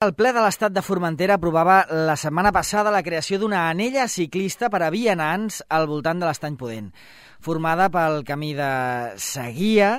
El ple de l'Estat de Formentera aprovava la setmana passada la creació d'una anella ciclista per a vianants al voltant de l'Estany Pudent, formada pel camí de Seguia,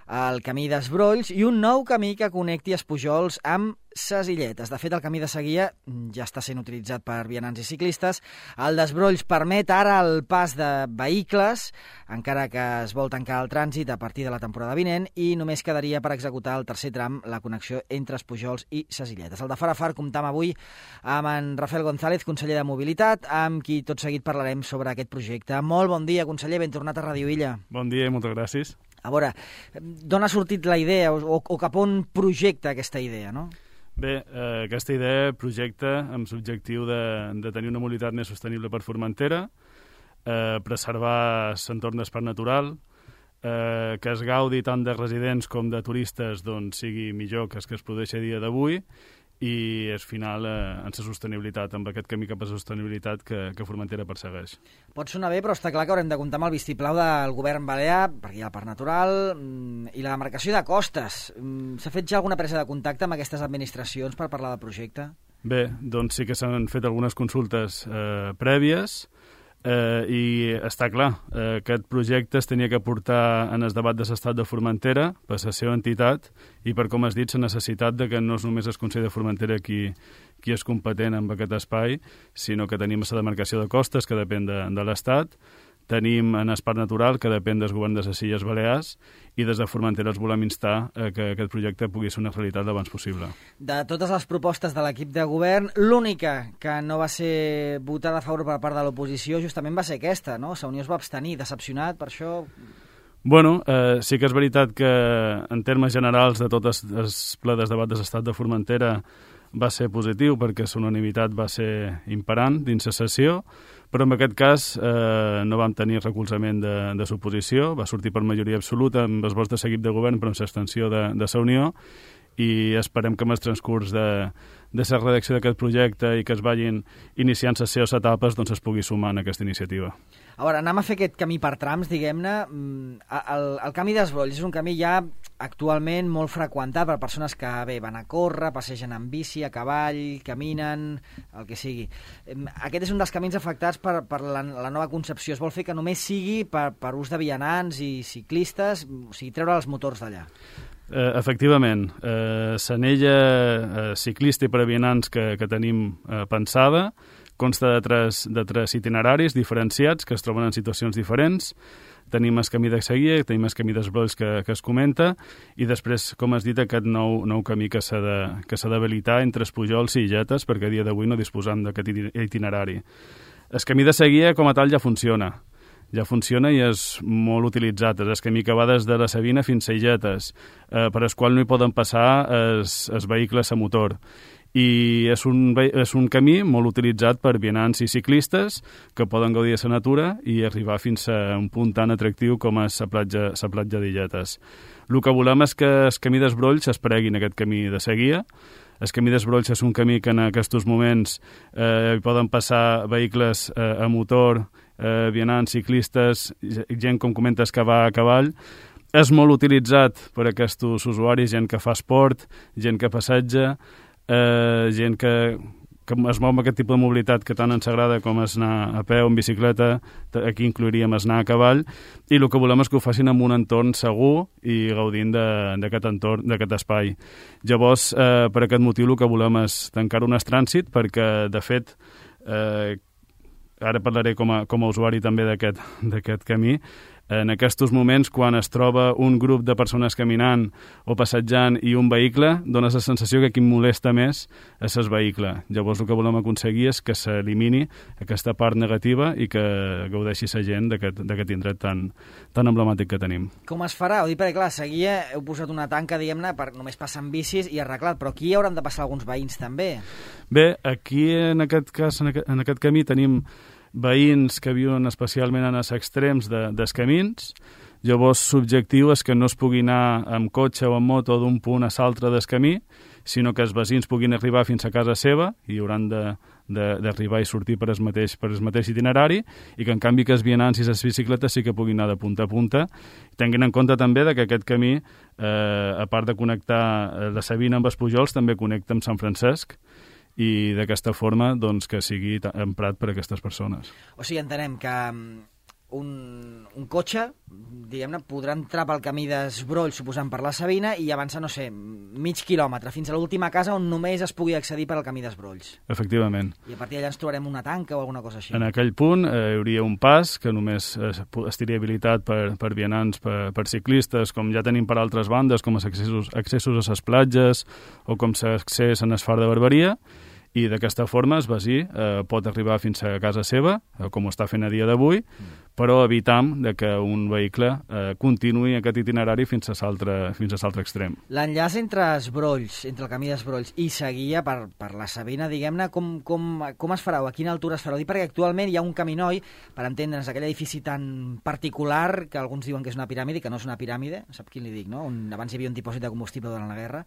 el camí d'Esbrolls i un nou camí que connecti Espujols amb Ses Illetes. De fet, el camí de Seguia ja està sent utilitzat per vianants i ciclistes. El d'Esbrolls permet ara el pas de vehicles, encara que es vol tancar el trànsit a partir de la temporada vinent, i només quedaria per executar el tercer tram, la connexió entre Espujols i Ses Illetes. El de Far a Far comptam avui amb en Rafael González, conseller de Mobilitat, amb qui tot seguit parlarem sobre aquest projecte. Molt bon dia, conseller, ben tornat a Ràdio Illa. Bon dia i moltes gràcies. A veure, d'on ha sortit la idea o cap on projecta aquesta idea, no? Bé, aquesta idea projecta amb l'objectiu de tenir una mobilitat més sostenible per Formentera, preservar l'entorn d'espai natural, que es gaudi tant de residents com de turistes doncs, sigui millor que el que es produeix a dia d'avui, i al final en la sostenibilitat, amb aquest camí cap a la sostenibilitat que Formentera persegueix. Pot sonar bé, però està clar que haurem de comptar amb el vistiplau del govern balear, perquè hi ha el Parc Natural i la demarcació de costes. S'ha fet ja alguna presa de contacte amb aquestes administracions per parlar del projecte? Bé, doncs sí que s'han fet algunes consultes prèvies, i està clar, aquest projecte es tenia que portar en el debat de l'estat de Formentera per la seva entitat i per, com has dit, la necessitat de que no és només el Consell de Formentera qui és competent en aquest espai, sinó que tenim la demarcació de costes, que depèn de l'Estat, tenim en el Parc Natural, que depèn del govern de les Illes Balears, i des de Formentera els volem instar que aquest projecte pugui ser una realitat l'abans possible. De totes les propostes de l'equip de govern, l'única que no va ser votada a favor per part de l'oposició justament va ser aquesta, no? La Unió es va abstenir, decepcionat per això. Bueno, sí que és veritat que en termes generals de tot el ple de debat de l'Estat de Formentera va ser positiu perquè la unanimitat va ser imperant dins la sessió, però en aquest cas no vam tenir recolzament de l'oposició, va sortir per majoria absoluta amb els vots de l'equip de govern però amb l'extensió de la Unió, i esperem que amb el transcurs de la redacció d'aquest projecte i que es vagin iniciant les seves etapes doncs es pugui sumar en aquesta iniciativa. A veure, anem a fer aquest camí per trams, diguem-ne. El camí d'Esbrolls és un camí ja actualment molt freqüentat per persones que van a córrer, passegen amb bici, a cavall, caminen, el que sigui. Aquest és un dels camins afectats per la nova concepció. Es vol fer que només sigui per ús de vianants i ciclistes, o sigui, treure els motors d'allà. Efectivament, l'anella ciclista i per a vianants que tenim pensada consta de tres itineraris diferenciats que es troben en situacions diferents. Tenim el camí de Seguia, tenim el camí d'Esbrolls que es comenta, i després, com has dit, aquest nou camí que s'ha d'habilitar entre Espujols i Illetes, perquè a dia d'avui no disposam d'aquest itinerari. El camí de Seguia, com a tal, ja funciona i és molt utilitzat. És el camí que va des de la Sabina fins a Illetes, per al qual no hi poden passar els vehicles a motor. I és un camí molt utilitzat per vianants i ciclistes que poden gaudir de la natura i arribar fins a un punt tan atractiu com és la platja d'Illetes. El que volem és que el camí d'Esbrolls es pregui en aquest camí de Seguia. El camí d'Esbrolls és un camí que en aquests moments hi poden passar vehicles a motor, vianants, ciclistes, gent, com comentes, que va a cavall. És molt utilitzat per aquests usuaris, gent que fa esport, gent que passeja, gent que es mou amb aquest tipus de mobilitat que tant ens agrada com és anar a peu, en bicicleta, aquí inclouríem anar a cavall, i el que volem és que ho facin en un entorn segur i gaudint d'aquest entorn, d'aquest espai. Llavors, per aquest motiu, el que volem és tancar un trànsit perquè, de fet, ara parlaré com a usuari també d'aquest camí. En aquests moments, quan es troba un grup de persones caminant o passejant i un vehicle, dona la sensació que qui molesta més és el vehicle. Llavors el que volem aconseguir és que s'elimini aquesta part negativa i que gaudeixi la gent d'aquest indret tan emblemàtic que tenim. Com es farà? Ho dic perquè, clar, a Seguia heu posat una tanca, diguem-ne, per només passar amb bicis i arreglat, però aquí hauran de passar alguns veïns també. Bé, aquí en aquest cas, en aquest camí tenim veïns que viuen especialment en els extrems dels camins. Llavors, l'objectiu és que no es pugui anar amb cotxe o amb moto d'un punt a l'altre del camí, sinó que els veïns puguin arribar fins a casa seva i hauran d'arribar i sortir per el mateix itinerari, i que en canvi que els vianants i les bicicletes sí que puguin anar de punta a punta, tenint en compte també que aquest camí, a part de connectar la Sabina amb els Pujols, també connecta amb Sant Francesc, i d'aquesta forma doncs, que sigui emprat per a aquestes persones. O sigui, entenem que un cotxe, diguem-ne, podrà entrar pel camí d'Esbroll, suposant per la Sabina, i avançar, no sé, mig quilòmetre, fins a l'última casa on només es pugui accedir per al camí d'Esbrolls. Efectivament. I a partir d'allà ens trobarem una tanca o alguna cosa així. En aquell punt hi hauria un pas que només estaria habilitat per vianants, per ciclistes, com ja tenim per altres bandes, com els accessos a les platges o com l'accés a l'Esfar de Barberia, i d'aquesta forma el veí pot arribar fins a casa seva, com ho està fent a dia d'avui, però evitam que un vehicle continuï aquest itinerari fins a l'altre extrem. L'enllaç entre Esbrolls, entre el camí d'Esbrolls i Seguia per la Sabina, diguem-ne, com es farà o a quina altura es farà? Dic perquè actualment hi ha un caminoi, per entendre'ns, aquell edifici tan particular que alguns diuen que és una piràmide, que no és una piràmide, sap quin li dic, no? Abans hi havia un dipòsit de combustible durant la guerra.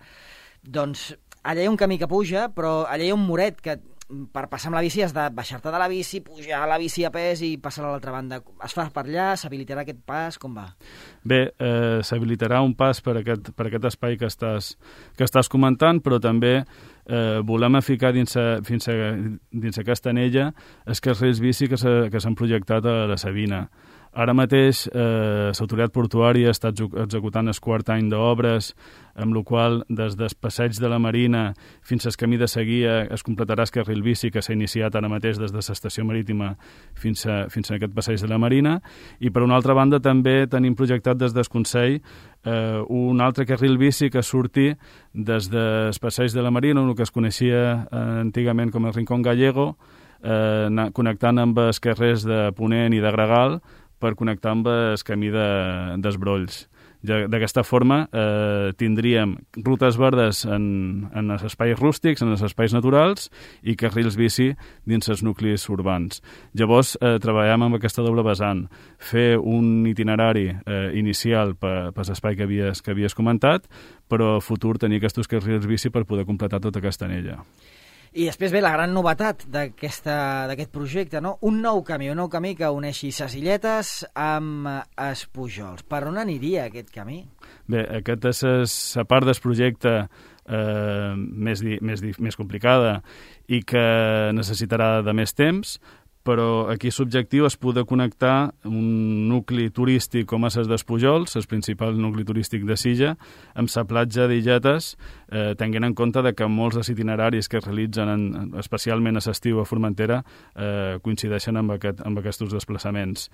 Doncs allà hi ha un camí que puja, però allà hi ha un muret que per passar amb la bici has de baixar-te de la bici, pujar a la bici a pes i passar a l'altra banda. Es fa per allà? S'habilitarà aquest pas? Com va? Bé, s'habilitarà un pas per aquest espai que estàs comentant, però també volem ficar dins aquesta anella els carrils bici que s'han projectat a la Sabina. Ara mateix l'autoritat portuària està executant el quart any d'obres, amb la qual des del passeig de la Marina fins al camí de Seguia es completarà el carril bici que s'ha iniciat ara mateix des de l'estació marítima fins a aquest passeig de la Marina, i per una altra banda també tenim projectat des del Consell un altre carril bici que surti des del passeig de la Marina, el que es coneixia antigament com el Rincón Gallego, connectant amb els carrers de Ponent i de Gregal, per connectar amb el camí d'Esbrolls. D'aquesta forma tindríem rutes verdes en els espais rústics, en els espais naturals, i carrils bici dins els nuclis urbans. Llavors treballem amb aquesta doble vessant, fer un itinerari inicial per l'espai que havies comentat, però a futur tenir aquests carrils bici per poder completar tota aquesta anella. I després ve la gran novetat d'aquest projecte, no? Un nou camí que uneixi ses Illetes amb els Pujols. Per on aniria aquest camí? Bé, aquest és la part del projecte més complicada i que necessitarà de més temps, però aquí l'objectiu és poder connectar un nucli turístic com és el dels Pujols, el principal nucli turístic de Silla, amb la platja d'Illetes, tenint en compte que molts dels itineraris que es realitzen, especialment a l'estiu a Formentera, coincideixen amb aquests desplaçaments.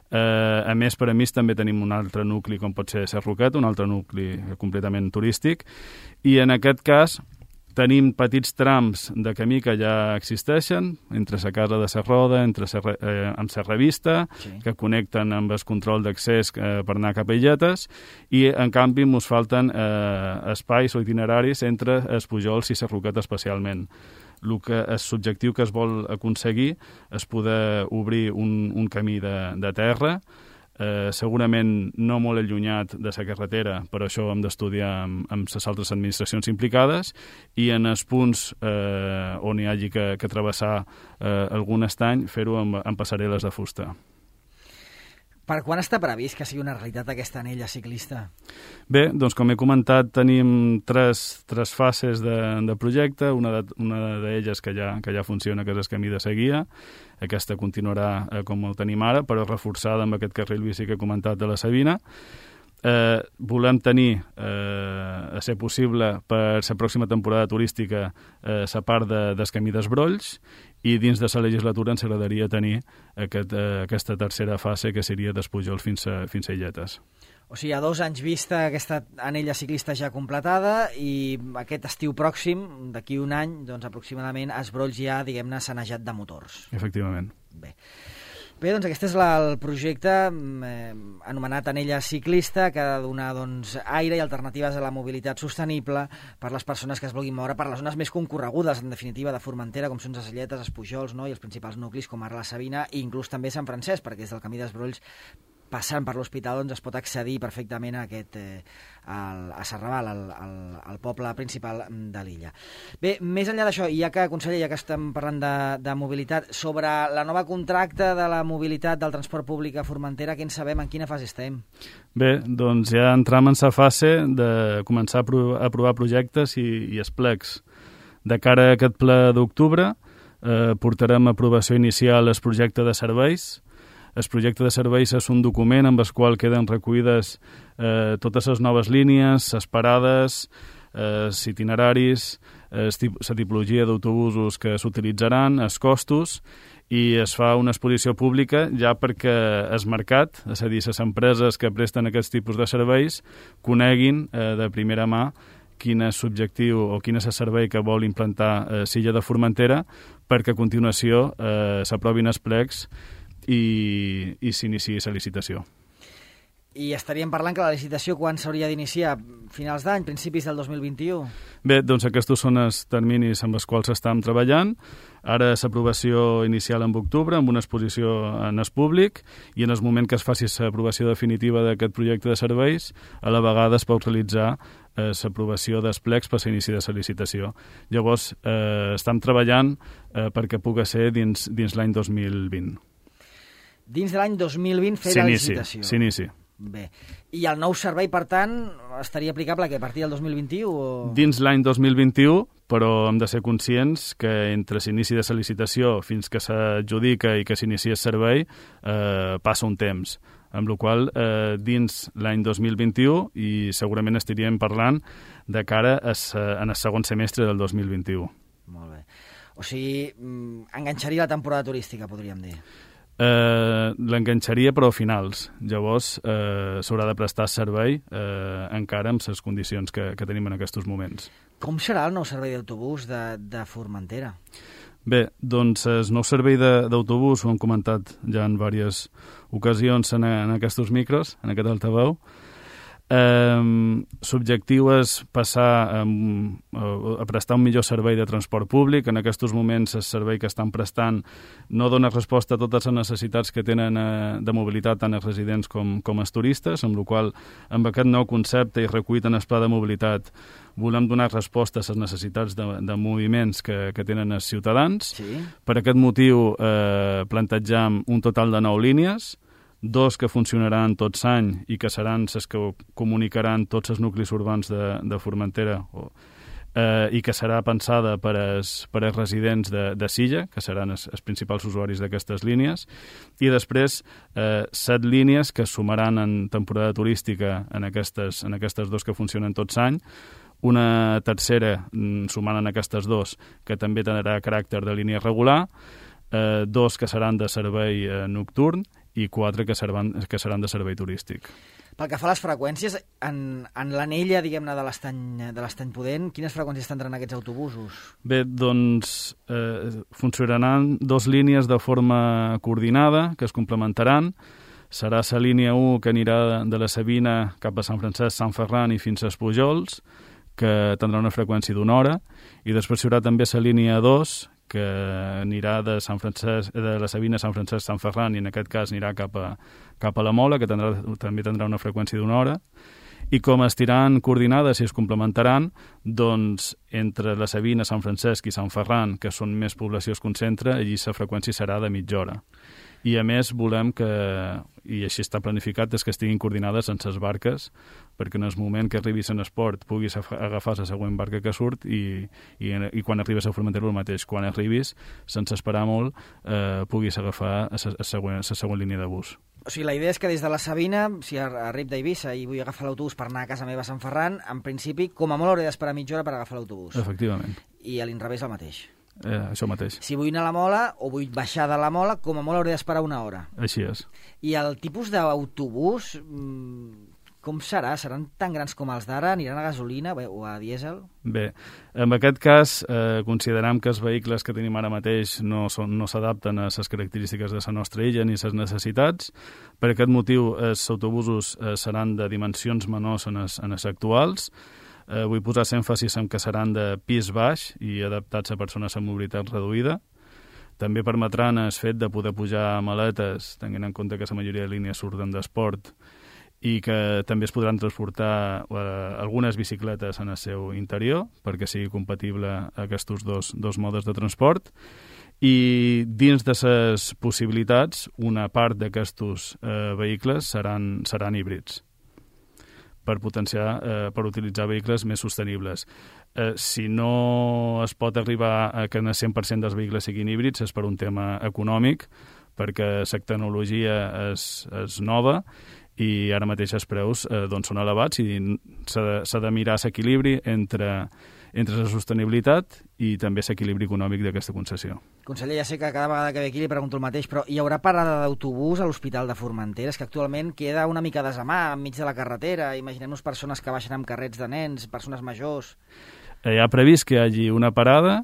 A més, per a mi també tenim un altre nucli, com pot ser Sarroquet, un altre nucli completament turístic, i en aquest cas tenim petits trams de camí que ja existeixen, entre la casa de Serroda, amb la revista, sí, que connecten amb el control d'accés per anar cap a Illetes, i en canvi ens falten espais o itineraris entre els Pujols i Sarroquet especialment. L'objectiu que es vol aconseguir és poder obrir un camí de terra, segurament no molt allunyat de la carretera, per això hem d'estudiar amb les altres administracions implicades, i en els punts on hi hagi que travessar algun estany, fer-ho amb passarel·les de fusta. Per quan està previst que sigui una realitat aquesta anella ciclista? Bé, doncs com he comentat, tenim tres fases de projecte, una d'elles que ja funciona, que és el camí de Seguia. Aquesta continuarà com ho tenim ara, però reforçada amb aquest carril bici que he comentat de la Sabina. Volem tenir, a ser possible, per la pròxima temporada turística, la part del camí d'Esbrolls, i dins de la legislatura ens agradaria tenir aquesta tercera fase, que seria dels Pujols fins a Illetes. O sigui, a 2 anys vista aquesta anella ciclista ja completada, i aquest estiu pròxim, d'aquí un any, doncs aproximadament, Esbrolls ja, diguem-ne, sanejat de motors. Efectivament. Bé, doncs aquest és el projecte anomenat Anella Ciclista, que ha de donar aire i alternatives a la mobilitat sostenible per les persones que es vulguin moure per les zones més concorregudes, en definitiva, de Formentera, com són les Illetes, els Pujols, no? I els principals nuclis, com ara la Sabina, i inclús també Sant Francesc, perquè des del camí d'Esbrolls passant per l'hospital doncs es pot accedir perfectament a a Serrabal, al poble principal de l'illa. Bé, més enllà d'això, ja que, conseller, ja que estem parlant de mobilitat, sobre la nova contracte de la mobilitat del transport públic a Formentera, què en sabem, en quina fase estem? Bé, doncs ja entram en la fase de començar a aprovar projectes i esplecs. De cara a aquest ple d'octubre, portarem a aprovació inicial el projecte de serveis. El projecte de serveis és un document amb el qual queden recollides totes les noves línies, les parades, els itineraris, la tipologia d'autobusos que s'utilitzaran, els costos, i es fa una exposició pública ja perquè el mercat, és a dir, les empreses que presten aquests tipus de serveis, coneguin de primera mà quin és l'objectiu o quin és el servei que vol implantar l'illa de Formentera, perquè a continuació s'aprovin els plecs i s'iniciï la licitació. I estaríem parlant que la licitació quan s'hauria d'iniciar? Finals d'any, principis del 2021? Bé, doncs aquests són els terminis amb els quals estem treballant. Ara l'aprovació inicial en octubre, amb una exposició en el públic, i en el moment que es faci l'aprovació definitiva d'aquest projecte de serveis, a la vegada es pot realitzar l'aprovació dels plecs per l'inici de la licitació. Llavors, estem treballant perquè pugui ser dins l'any 2020. Dins de l'any 2020 fer la licitació. S'inici. Bé. I el nou servei, per tant, estaria aplicable a partir del 2021? O... Dins l'any 2021, però hem de ser conscients que entre l'inici de la licitació fins que s'adjudica i que s'inicia el servei passa un temps. Amb la qual dins l'any 2021 i segurament estaríem parlant de cara en el segon semestre del 2021. Molt bé. O sigui, enganxaria la temporada turística, podríem dir. L'enganxaria però a finals. Llavors s'haurà de prestar servei encara amb les condicions que tenim en aquests moments. Com serà el nou servei d'autobús de Formentera? Bé, doncs el nou servei d'autobús ho hem comentat ja en diverses ocasions en aquests micros, en aquest altaveu. L'objectiu és passar a prestar un millor servei de transport públic. En aquests moments el servei que estan prestant no dona resposta a totes les necessitats que tenen de mobilitat tant els residents com els turistes, amb la qual amb aquest nou concepte i recollit en el pla de mobilitat volem donar resposta a les necessitats de moviments que tenen els ciutadans. Sí. Per aquest motiu plantejam un total de 9 línies, 2 que funcionaran tot l'any i que seran les que comunicaran tots els nuclis urbans de Formentera i que serà pensada per als residents de Silla, que seran els principals usuaris d'aquestes línies, i després 7 línies que es sumaran en temporada turística en aquestes 2 que funcionen tot l'any, una tercera sumant en aquestes 2 que també tindrà caràcter de línia regular, 2 que seran de servei nocturn i 4 que seran de servei turístic. Pel que fa a les freqüències, en l'anella, diguem-ne, de l'Estany Pudent, quines freqüències tindran aquests autobusos? Bé, doncs funcionaran 2 línies de forma coordinada que es complementaran. Serà la línia 1 que anirà de la Sabina cap a Sant Francesc, Sant Ferran i fins a Pujols, que tindrà una freqüència d'1 hora, i després hi haurà també la línia 2, que anirà de la Sabina a Sant Francesc, Sant Ferran, i en aquest cas anirà cap a la Mola, que també tindrà una freqüència d'1 hora. I com estiran coordinades i es complementaran, doncs entre la Sabina, Sant Francesc i Sant Ferran, que són més població es concentra, allí la freqüència serà de mitja hora. I a més volem que, i així està planificat, és que estiguin coordinades amb les barques, perquè en el moment que arribis en esport puguis agafar la següent barca que surt i quan arribes a Formentera el mateix. Quan arribis, sense esperar molt, puguis agafar la següent línia de bus. O sigui, la idea és que des de la Sabina, si arribo d'Eivissa i vull agafar l'autobús per anar a casa meva a Sant Ferran, en principi, com a molt hauré d'esperar mitja hora per agafar l'autobús. Efectivament. I a l'inrevés el mateix. Això mateix. Si vull anar a la Mola o vull baixar de la Mola, com a molt hauré d'esperar 1 hora. Així és. I el tipus d'autobús, com serà? Seran tan grans com els d'ara? Aniran a gasolina o a dièsel? Bé, en aquest cas considerem que els vehicles que tenim ara mateix no s'adapten a les característiques de la nostra illa ni a les necessitats. Per aquest motiu, els autobusos seran de dimensions menors en els actuals. Vull posar èmfasis en que seran de pis baix i adaptats a persones amb mobilitat reduïda. També permetran el fet de poder pujar maletes, tenint en compte que la majoria de línies surten d'esport, i que també es podran transportar algunes bicicletes en el seu interior perquè sigui compatible aquests dos modes de transport. I dins de les possibilitats, una part d'aquests vehicles seran híbrids per utilitzar vehicles més sostenibles. Si no es pot arribar a que el 100% dels vehicles siguin híbrids és per un tema econòmic, perquè la tecnologia és nova i ara mateix els preus són elevats i s'ha de mirar l'equilibri entre la sostenibilitat i també l'equilibri econòmic d'aquesta concessió. Conseller, ja sé que cada vegada que ve aquí li pregunto el mateix, però hi haurà parada d'autobús a l'Hospital de Formentera? És que actualment queda una mica desamà enmig de la carretera. Imaginem-nos persones que baixen amb carrets de nens, persones majors. Hi ha previst que hi hagi una parada,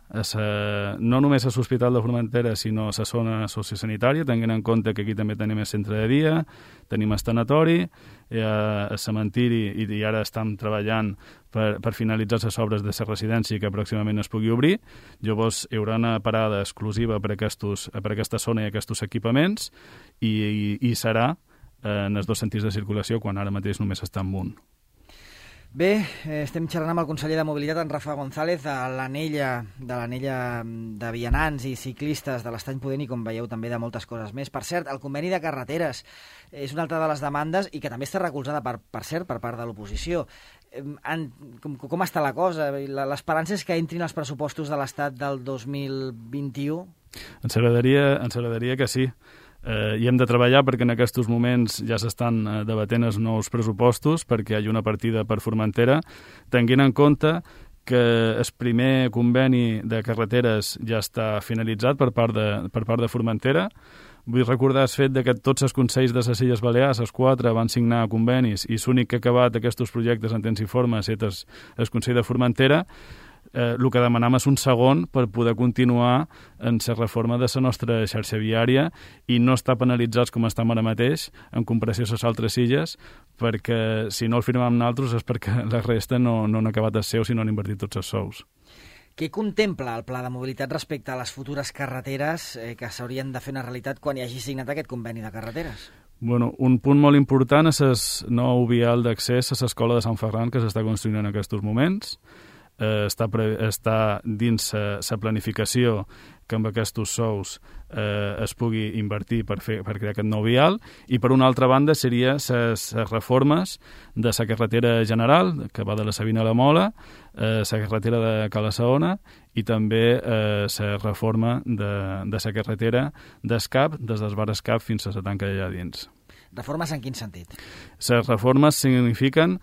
no només a l'Hospital de Formentera, sinó a la zona sociosanitària, tenint en compte que aquí també tenim el centre de dia, tenim el tanatori, el cementiri, i ara estem treballant per finalitzar les obres de la residència que pròximament es pugui obrir. Llavors hi haurà una parada exclusiva per aquesta zona i aquests equipaments i serà en els dos sentits de circulació, quan ara mateix només està en un. Bé, estem xerrant amb el conseller de Mobilitat, en Rafa González, de l'anella de vianants i ciclistes de l'Estany Pudent i, com veieu, també de moltes coses més. Per cert, el conveni de carreteres és una altra de les demandes i que també està recolzada, per cert, per part de l'oposició. Com està la cosa? L'esperança és que entrin els pressupostos de l'Estat del 2021? Ens agradaria que sí. I hem de treballar perquè en aquests moments ja s'estan debatent els nous pressupostos perquè hi hagi una partida per Formentera, tenint en compte que el primer conveni de carreteres ja està finalitzat per part de Formentera. Vull recordar el fet que tots els consells de les Illes Balears, els 4, van signar convenis i l'únic que ha acabat aquests projectes en temps i forma ha estat el Consell de Formentera. El que demanam és un segon per poder continuar en la reforma de la nostra xarxa viària i no estar penalitzats com estem ara mateix en comparació a les altres illes, perquè si no el firmem nosaltres és perquè la resta no han acabat el seu, sinó han invertit tots els sous. Què contempla el pla de mobilitat respecte a les futures carreteres que s'haurien de fer una realitat quan hi hagi signat aquest conveni de carreteres? Bueno, un punt molt important és el nou vial d'accés a l'escola de Sant Ferran que s'està construint en aquests moments. Està dins la planificació que amb aquests sous es pugui invertir per crear aquest nou vial, i per una altra banda seria les reformes de la carretera general que va de la Sabina a la Mola, la carretera de Cala Saona i també la reforma de la carretera d'Escap, des del bar Escap fins a la tanca allà dins. Reformes en quin sentit? Les reformes signifiquen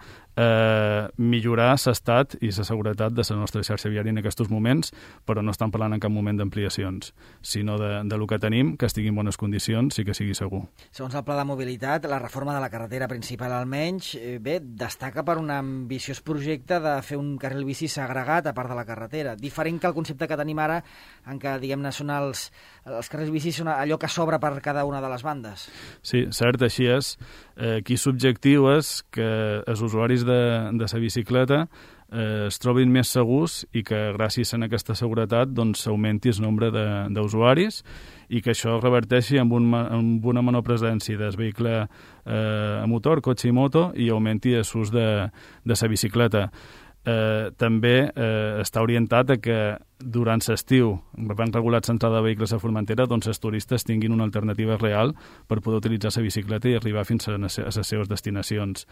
millorar l'estat i la seguretat de la nostra xarxa viària en aquests moments, però no estan parlant en cap moment d'ampliacions, sinó de lo que tenim, que estigui en bones condicions i que sigui segur. Segons el pla de mobilitat, la reforma de la carretera principal almenys, destaca per un ambiciós projecte de fer un carril bici segregat a part de la carretera, diferent que el concepte que tenim ara, en què, diguem-ne, són els carrils bici són allò que s'obre per cada una de les bandes. Sí, cert, així és. Aquí l'objectiu és que els usuaris de la bicicleta es trobin més segurs i que gràcies a aquesta seguretat s'augmenti el nombre d'usuaris i que això reverteixi amb una menor presència del vehicle a motor, cotxe i moto, i augmenti l'ús de la bicicleta. També està orientat a que durant l'estiu, van regular l'entrada de vehicles a Formentera, els turistes tinguin una alternativa real per poder utilitzar la bicicleta i arribar fins a les seves destinacions.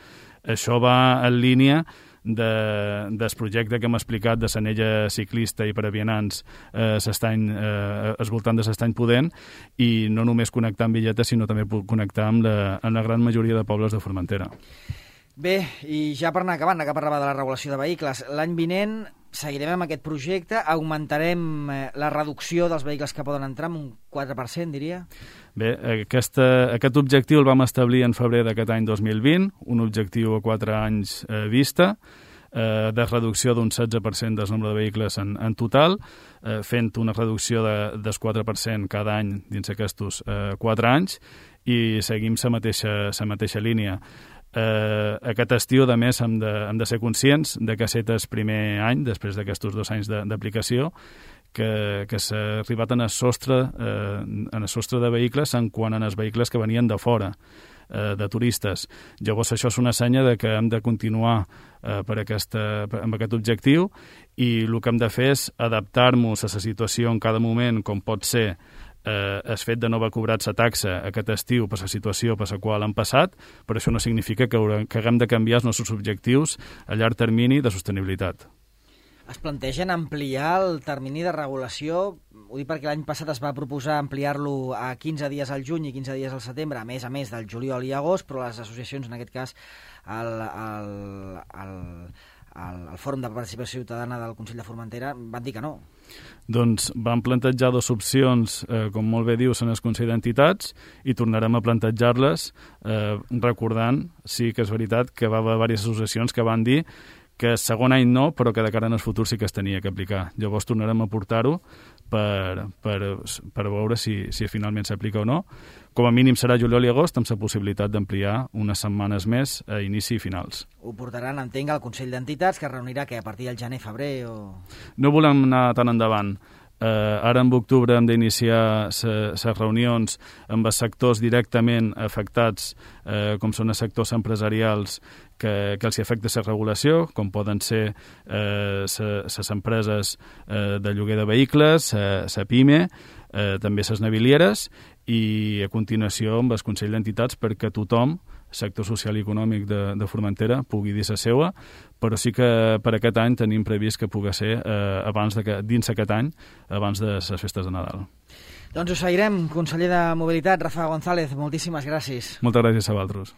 Això va en línia del projecte que hem explicat de l'anella ciclista i per a vianants voltant de l'Estany Pudent, i no només connectar amb Villeta, sinó també connectar amb la gran majoria de pobles de Formentera. Bé, i ja per anar acabant, que parlava de la regulació de vehicles, l'any vinent seguirem amb aquest projecte, augmentarem la reducció dels vehicles que poden entrar amb un 4%, diria? Bé, aquest objectiu el vam establir en febrer d'aquest any 2020, un objectiu a 4 anys vista, de reducció d'un 16% del nombre de vehicles en total, fent una reducció del 4% cada any dins aquests 4 anys, i seguim la mateixa línia. Aquest estiu, a més, hem de ser conscients de que aquest és el primer any, després d'aquests 2 anys d'aplicació, que s'ha arribat en el sostre de vehicles en quant a els vehicles que venien de fora, de turistes. Llavors això és una senya de que hem de continuar amb aquest objectiu, i el que hem de fer és adaptar-nos a la situació en cada moment, com pot ser el fet de no haver cobrat la taxa aquest estiu per la situació per la qual han passat, però això no significa que haguem de canviar els nostres objectius a llarg termini de sostenibilitat. Es plantegen ampliar el termini de regulació? Ho dic perquè l'any passat es va proposar ampliar-lo a 15 dies al juny i 15 dies al setembre, a més del juliol i agost, però les associacions, en aquest cas el Fòrum de Participació Ciutadana del Consell de Formentera, van dir que no. Doncs vam plantejar dues opcions, com molt bé dius, en el Consell d'Entitats, i tornarem a plantejar-les, recordant, sí que és veritat, que va haver diverses associacions que van dir que el segon any no, però que de cara en el futur sí que es tenia que aplicar. Llavors tornarem a portar-ho per veure si finalment s'aplica o no. Com a mínim serà juliol i agost, amb la possibilitat d'ampliar unes setmanes més a inici i finals. Ho portaran, entenc, al Consell d'Entitats, que es reunirà a partir del gener-febrer o... No volem anar tan endavant. Ara en octubre hem d'iniciar les reunions amb els sectors directament afectats, com són els sectors empresarials que els afecta la regulació, com poden ser les empreses de lloguer de vehicles, la PIME, també les navilieres, i a continuació amb el Consell d'Entitats perquè tothom, sector social i econòmic de Formentera, pugui dir la seva, però sí que per aquest any tenim previst que pugui ser dins aquest any, abans de les festes de Nadal. Doncs ho seguirem. Conseller de Mobilitat, Rafa González, moltíssimes gràcies. Moltes gràcies a vosaltres.